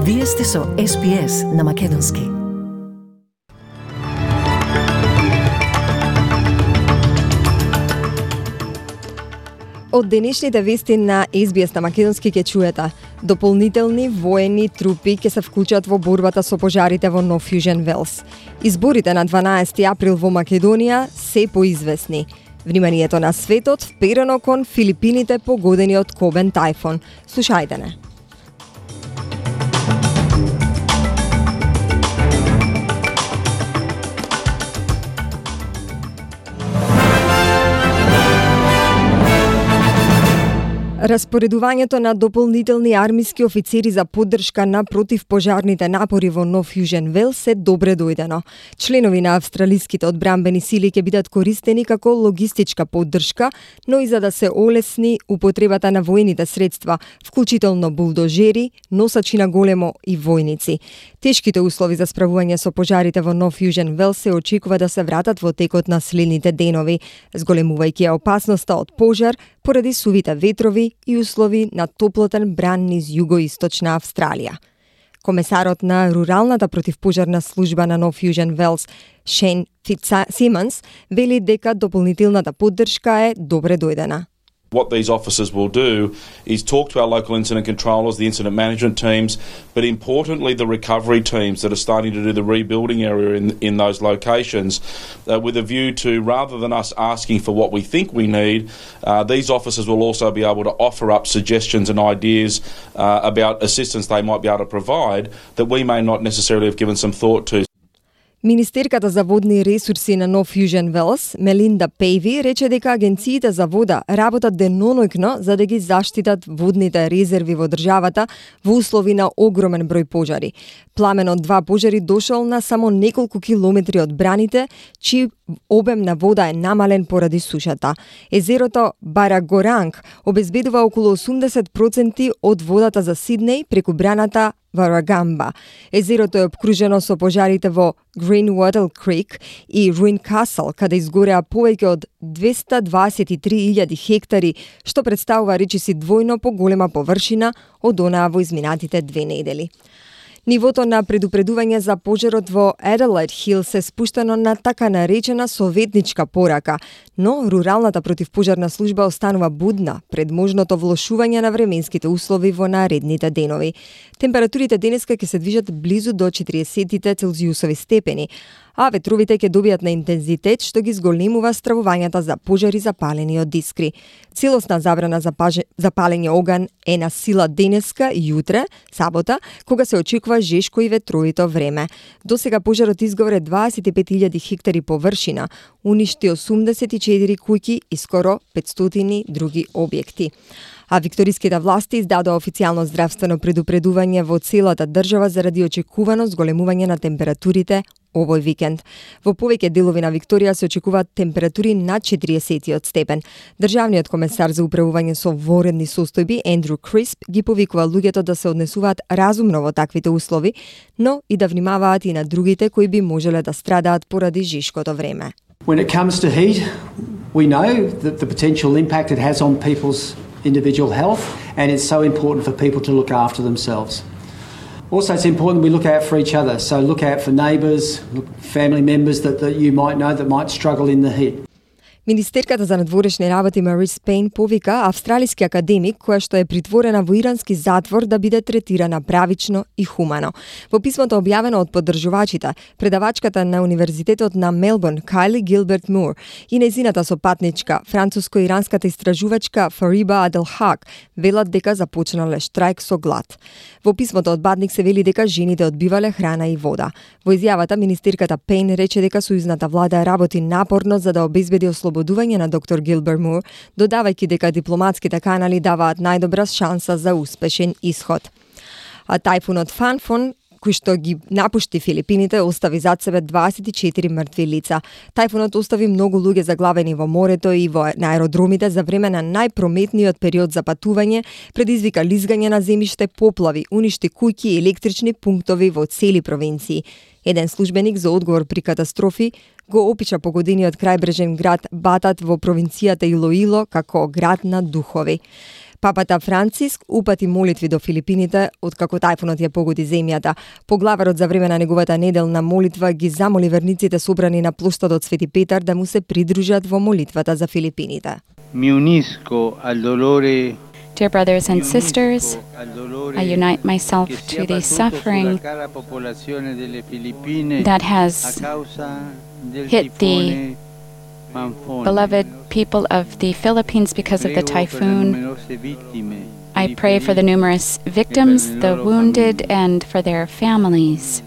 Вие сте со SPS на Македонски. Од денешните вести на SBS на Македонски ќе чуете: дополнителни воени трупи ќе се вклучат во борбата со пожарите во Нов Јужен Велс. Изборите на 12 април во Македонија се поизвестни. Вниманието на светот вперено кон Филипините погодени од Кобен тајфун. Слушајте не. Распоредувањето на дополнителни армиски офицери за поддршка на противпожарните напори во Нов Јужен Велс е добре дојдено. Членови на австралиските одбранбени сили ќе бидат користени како логистичка поддршка, но и за да се олесни употребата на воените средства, вклучително булдожери, носачи на големо и војници. Тешките услови за справување со пожарите во Нов Јужен Велс се очекува да се вратат во текот на следните денови, зголемувајќи ја опасноста од пожар поради сувите ветрови и услови на топлотен бран низ југоисточна Австралија. Комесарот на Руралната противпожарна служба на Нов Јужен Велс, Шейн Фитцсимонс, вели дека дополнителната поддршка е добре дојдена. What these officers will do is talk to our local incident controllers, the incident management teams, but importantly the recovery teams that are starting to do the rebuilding area in those locations with a view to, rather than us asking for what we think we need, these officers will also be able to offer up suggestions and ideas about assistance they might be able to provide that we may not necessarily have given some thought to. Министерката за водни ресурси на Нов Јужен Велс, Мелинда Пејви, рече дека агенциите за вода работат деноноќно за да ги заштитат водните резерви во државата во услови на огромен број пожари. Пламен од 2 пожари дошол на само неколку километри од браните, чиј обем на вода е намален поради сушата. Езерото Барагоранг обезбедува околу 80% од водата за Сиднеј преку браната Варагамба. Езерото е обкружено со пожарите во Greenwater Creek и Ruin Castle, каде изгореа повеќе од 223.000 хектари, што представува речиси двојно поголема површина од онаа во изминатите 2 недели. Нивото на предупредување за пожарот во Adelaide Hill се спуштено на така наречена советничка порака, но Руралната противпожарна служба останува будна пред можното влошување на временските услови во наредните денови. Температурите денеска ќе се движат близу до 40 целзиусови степени, а ветровите ќе добијат на интензитет што ги зголемува стравувањата за пожари запалени од искри. Целосна забрана за палење оган е на сила денеска и јутре, сабота, кога се очекува жешко и ветровито време. Досега пожарот изгоре 25.000 хектари површина, уништи 84 куќи и скоро 500 други објекти. А викториските власти издадоа официјално здравствено предупредување во целата држава заради очекувано зголемување на температурите овој викенд. Во повеќе делови на Викторија се очекуваат температури над 40 степен. Државниот комесар за управување со воредни состојби Ендрю Крисп ги повикува луѓето да се однесуваат разумно во таквите услови, но и да внимаваат и на другите кои би можеле да страдаат поради жешкото време. When it comes to heat, we know that the potential impact it has on people's individual health, and it's so important for people to look after themselves. Also, it's important we look out for each other, so look out for neighbours, family members that you might know that might struggle in the heat. Министерката за надворешни работи Марис Пейн повика австралиски академик која што е притворена во ирански затвор да биде третирана правично и хумано. Во писмото објавено од поддржувачите, предавачката на Универзитетот на Мелбурн Кайли Гилберт Мур и нејзината сопатничка, француско-иранската истражувачка Фариба Аделхак, велат дека започнале штрајк со глад. Во писмото од Бадник се вели дека жените одбивале храна и вода. Во изјавата министерката Пейн рече дека сојузната влада работи напорно за да обезбеди ослободување на доктор Гилберт Мур, додавајќи дека дипломатските канали даваат најдобра шанса за успешен исход. А тајфунот Фанфон, кој што ги напушти Филипините, остави зад себе 24 мртви лица. Тајфунот остави многу луѓе заглавени во морето и на аеродромите за време на најпрометниот период за патување, предизвика лизгање на земјиште, поплави, уништи куќи и електрични пунктови во цели провинции. Еден службеник за одговор при катастрофи го опиша погодениот крајбрежен град Батат во провинцијата Илоило како град на духови. Папата Франциск упати молитви до Филипините откако тајфунот ја погоди земјата. Поглаварот за време на неговата неделна молитва ги замоли верниците собрани на плоштадот Свети Петар да му се придружат во молитвата за Филипините. Mi unisco al dolore. Dear brothers and sisters, I unite myself to the suffering that has hit the beloved people of the Philippines because of the typhoon. I pray for the numerous victims, the wounded, and for their families.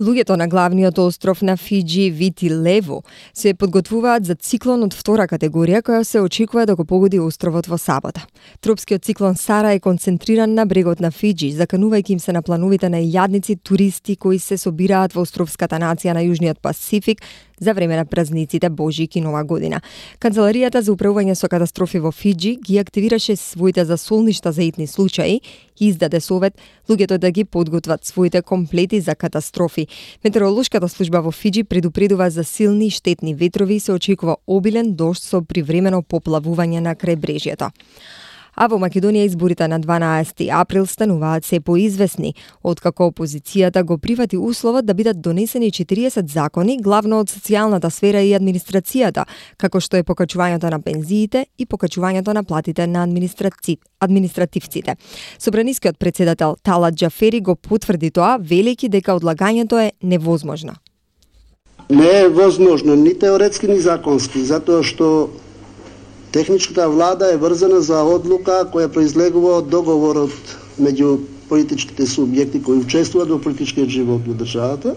Луѓето на главниот остров на Фиџи, Вити Лево, се подготвуваат за циклон од втора категорија која се очекува да го погоди островот во сабота. Тропскиот циклон Сара е концентриран на брегот на Фиџи, заканувајќи им се на плановите на илјадници туристи кои се собираат во островската нација на Јужниот Пасифик за време на празниците Божик и Нова година. Канцеларијата за управување со катастрофи во Фиџи ги активираше своите засолништа за итни случаи и издаде совет луѓето да ги подготват своите комплети за катастрофи. Метеоролошката служба во Фиџи предупредува за силни и штетни ветрови и се очекува обилен дожд со привремено поплавување на крајбрежјето. А во Македонија изборите на 12 април стануваат се поизвестни, откако опозицијата го прифати условот да бидат донесени 40 закони, главно од социјалната сфера и администрацијата, како што е покачувањето на пензиите и покачувањето на платите на административците. Собранискиот председател Талат Џафери го потврди тоа, велејќи дека одлагањето е невозможно. Не е возможно ни теоретски ни законски, затоа што техничката влада е врзана за одлука која произлегува од договорот меѓу политичките субјекти кои учествуваат во политичкиот живот во државата.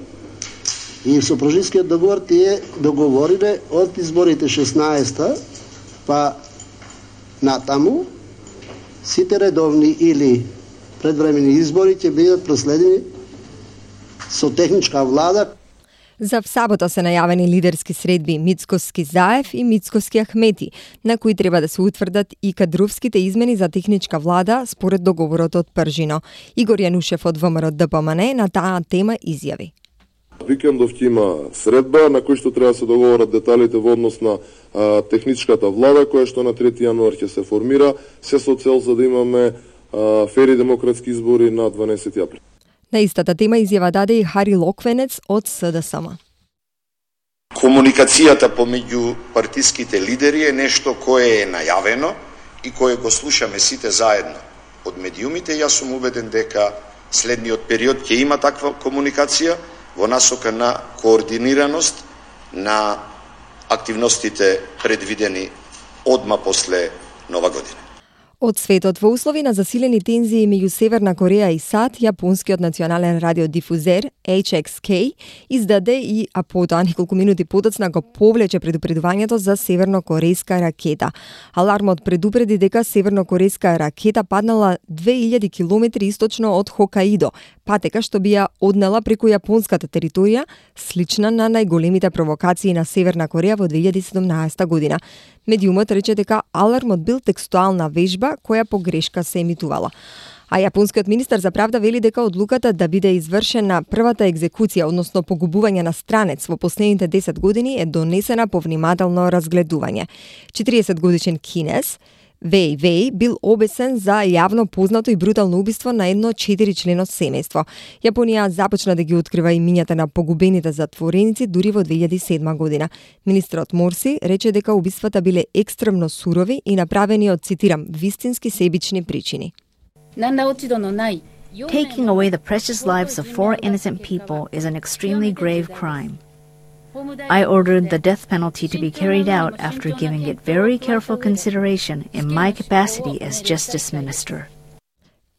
И со прожискиот договор тие договориле од изборите 16-та па натаму сите редовни или предвремени избори ќе бидат проследени со техничка влада. За сабота се најавени лидерски средби Мицкоски Заев и Мицкоски Ахмети, на кои треба да се утврдат и кадровските измени за техничка влада според договорот од Пржино. Игор Јанушев од ВМРО ДПМН на таа тема изјави. Викендов ќе има средба на кој што треба да се договорат деталите во однос на техничката влада која што на 3 јануар ќе се формира, се со цел за да имаме фери демократски избори на 12 април. На истата тема изјава даде и Хари Локвенец од СДСМ. Комуникацијата помеѓу партиските лидери е нешто кое е најавено и кое го слушаме сите заедно од медиумите. Јас сум убеден дека следниот период ќе има таква комуникација во насока на координираност на активностите предвидени одма после Нова година. Од светот, во услови на засилени тензии меѓу Северна Кореја и САД, јапонскиот национален радиодифузер HXK издаде и потоа неколку минути подоцна го повлече предупредувањето за севернокорејска ракета. Алармот предупреди дека севернокорејска ракета паднала 2000 километри источно од Хокаидо, патека што би ја однела преку јапонската територија, слична на најголемите провокации на Северна Кореја во 2017 година. Медиумот рече дека алармот бил текстуална вежба која по грешка се емитувала. А јапонскиот министер за правда вели дека одлуката да биде извршена првата екзекуција, односно погубување на странец во последните 10 години е донесена по внимателно разгледување. 40 годишен кинез Веј Веј бил обесен за јавно познато и брутално убиство на едно 4-члено семејство. Јапонија започна да ги открива имињата на погубените затвореници дури во 2007 година. Министерот Морси рече дека убиствата биле екстремно сурови и направени од, цитирам, вистински себични причини. Taking away the precious lives of 4 innocent people is an extremely grave crime. I ordered the death penalty to be carried out after giving it very careful consideration in my capacity as Justice Minister.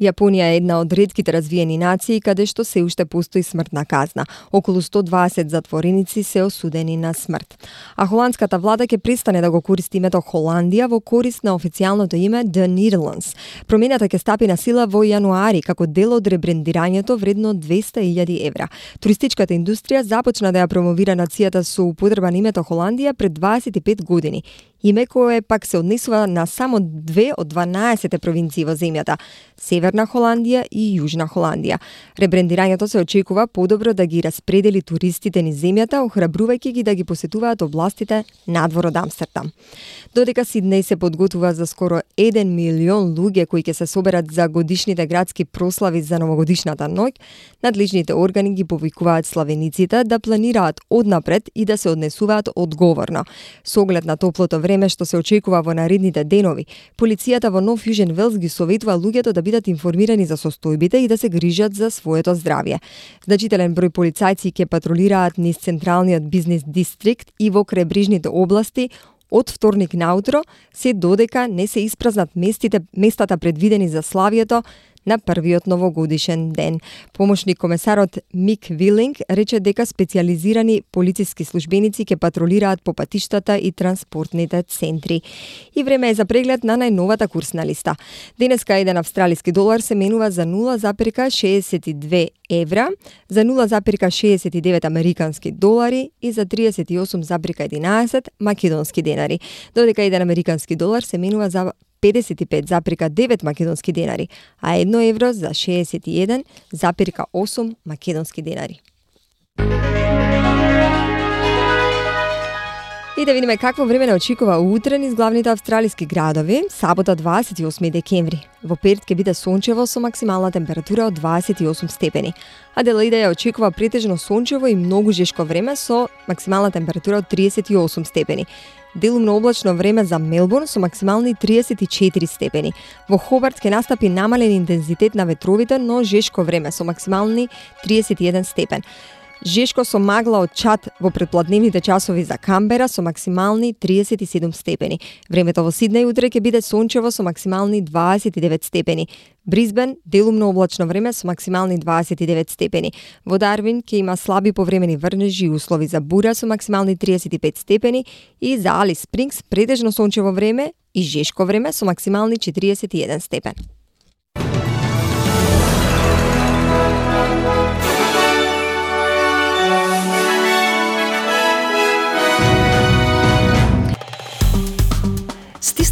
Јапонија е една од ретките развиени нации каде што се уште постои смртна казна. Околу 120 затвореници се осудени на смрт. А холандската влада ќе престане да го користи името Холандија во корист на официјалното име The Netherlands. Промената ќе стапи на сила во јануари како дел од ребрендирањето вредно 200.000 евра. Туристичката индустрија започна да ја промовира нацијата со употреба на името Холандија пред 25 години. Име кое пак се однесува на само 2 од 12 провинции во земјата – Северна Холандија и Јужна Холандија. Ребрендирањето се очекува подобро да ги распредели туристите низ земјата, охрабрувајќи ги да ги посетуваат областите надвор од Амстердам. Додека Сиднеј се подготвува за скоро 1 милион луѓе кои ќе се соберат за годишните градски прослави за новогодишната ноќ, надлежните органи ги повикуваат славениците да планираат однапред и да се однесуваат одговорно. Со оглед на топлото време што се очекува во наредните денови, полицијата во Нов Јужен Велс ги советува луѓето да бидат информирани за состојбите и да се грижат за своето здравје. Значителен број полицајци ќе патролираат низ централниот бизнис дистрикт и во крајбрежните области од вторник наутро, се додека не се испразнат местата предвидени за славието на првиот новогодишен ден. Помошник комесарот Мик Вилинг рече дека специјализирани полициски службеници ќе патролираат по патиштата и транспортните центри. И време е за преглед на најновата курсна листа. Денеска еден австралиски долар се менува за 0,62 евра, за 0,69 американски долари и за 38,11 македонски денари, додека еден американски долар се менува за 55,9 македонски денари, а 1 евро за 61,8 македонски денари. И да видиме какво време не очекува утре низ главните австралиски градови, сабота 28 декември. Во Перт ќе биде сончево со максимална температура од 28 степени. Аделаида ја очекува претежно сончево и многу жешко време со максимална температура од 38 степени. Делумно облачно време за Мелбурн со максимални 34 степени. Во Хобарт ќе настапи намален интензитет на ветровите, но жешко време со максимални 31 степен. Жешко со магла од чад во предпладневните часови за Камбера со максимални 37 степени. Времето во Сиднеј утре ќе биде сончево со максимални 29 степени. Брисбен делумно облачно време со максимални 29 степени. Во Дарвин ќе има слаби повремени врнежи и услови за бура со максимални 35 степени и за Алис Спрингс претежно сончево време и жешко време со максимални 41 степен.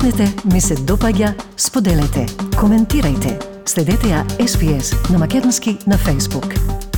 Стиснете, ми се допаѓа, споделете, коментирајте. Следете ја SPS на Македонски на Facebook.